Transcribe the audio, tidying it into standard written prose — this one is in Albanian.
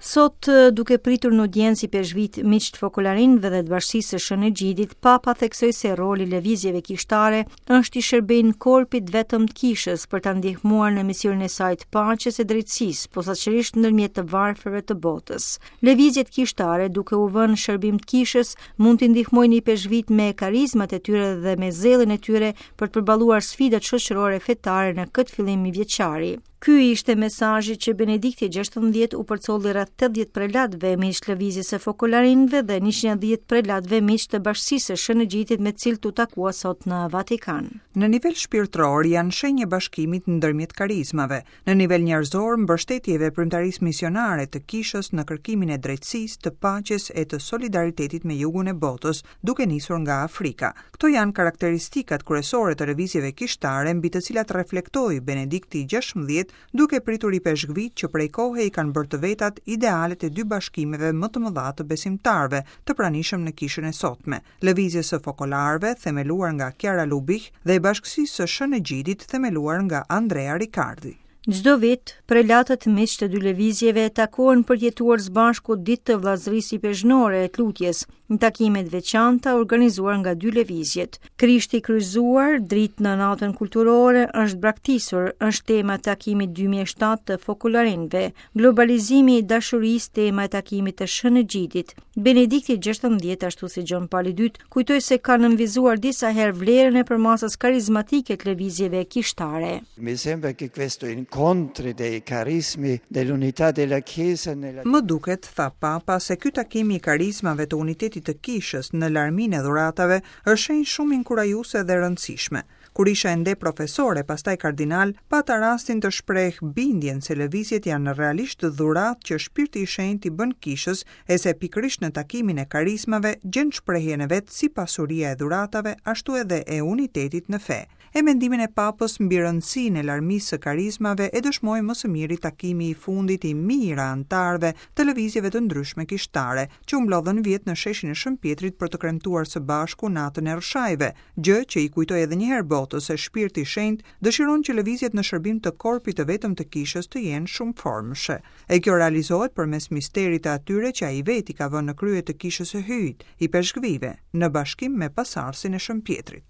Sot, duke pritur në audiencë ipeshkvijtë miq të fokolarinëve dhe të Bashkësisë së Shën Egjidit, Papa theksoi se roli i lëvizjeve kishtare është t'i shërbejnë korpit të vetëm të kishës për ta ndihmuar në misionin e saj të paqes e drejtësisë, posaçërisht ndërmjet të varfërve të botës. Lëvizjet kishtare, duke u vënë në shërbim të kishës, mund t'i ndihmojnë ipeshkvijtë me karizmat e tyre dhe me zellin e tyre për të përballuar sfidat shoqërore fetare në këtë fillim mijëvjeçari. Ky ishte mesazhi që Benedikti XVI u përcolli rreth 80 prelatëve miq të lëvizjes së fokolarinëve dhe 110 prelatëve miq të Bashkësisë së Shën Egjidit me të cilët u takua sot në Vatikan. Në nivel shpirtëror janë shenjë e bashkimit ndërmjet karizmave, në nivel njerëzor mbështetje e veprimtarisë misionare të Kishës në kërkimin e drejtësisë, të paqes e të solidaritetit me jugun e botës, duke nisur nga Afrika. Këto janë karakteristikat kryesore të lëvizjeve kishtare mbi të cilat reflektoi Benedikti XVI duke pritur ipeshkvijtë që prej kohe i kanë bërë të vetat idealet e dy bashkimeve më të mëdha të besimtarëve të pranishëm në kishën e sotme, Lëvizjes së Fokolarëve, themeluar nga Chiara Lubich, dhe Bashkësisë së Shën Egjidit, themeluar nga Andrea Riccardi. Çdo vit, prelatët miq të dy lëvizjeve takohen për të jetuar së bashku ditë të vëllazërisë ipeshkvnore e të lutjes, në takime të veçanta organizuar nga dy lëvizjet. Krishti i kryqëzuar, dritë në natën kulturore, është braktisur, është tema e takimit 2007 të fokolarinëve. Globalizimi i dashurisë, tema e takimit të Shën Egjidit. Benedikti XVI, ashtu si Gjon Pali II, kujtoi se ka nënvizuar disa herë vlerën e përmasës karizmatike të lëvizjeve kishtare. Mi sembra che questo incontri dei carismi dell'unità della Chiesa nella Më duket, tha Papa, se ky takim i karizmave të unitetit të Kishës në larminë e dhuratave është shenjë shumë inkurajuese dhe e rëndësishme. Kur isha ende profesor e pastaj kardinal, pata rastin të shpreh bindjen se lëvizjet janë realisht dhuratë që Shpirti i Shenjtë i bën Kishës e se pikërisht në takimin e karizmave gjen shprehjen e vet si pasuria e dhuratave ashtu edhe e unitetit në fe. E mendimin e Papës mbi rëndësinë e larmisë së karizmave e dëshmoi më së miri takimi i fundit i mijëra anëtarëve të lëvizjeve të ndryshme kishtare, që u mblodhën vjet në sheshin e Shën Pjetrit për të kremtuar së bashku Natën e Rrëshajve, gjë që i kujtoi edhe një herë botës se Shpirti i Shenjtë dëshiron që lëvizjet në shërbim të korpit të vetëm të Kishës të jenë shumëformëshe. E kjo realizohet përmes misterit të atyre që ai vetë i ka vënë në krye të Kishës së Hyjit, ipeshkvijve, në bashkim me pasardhësin e Shën Pjetrit.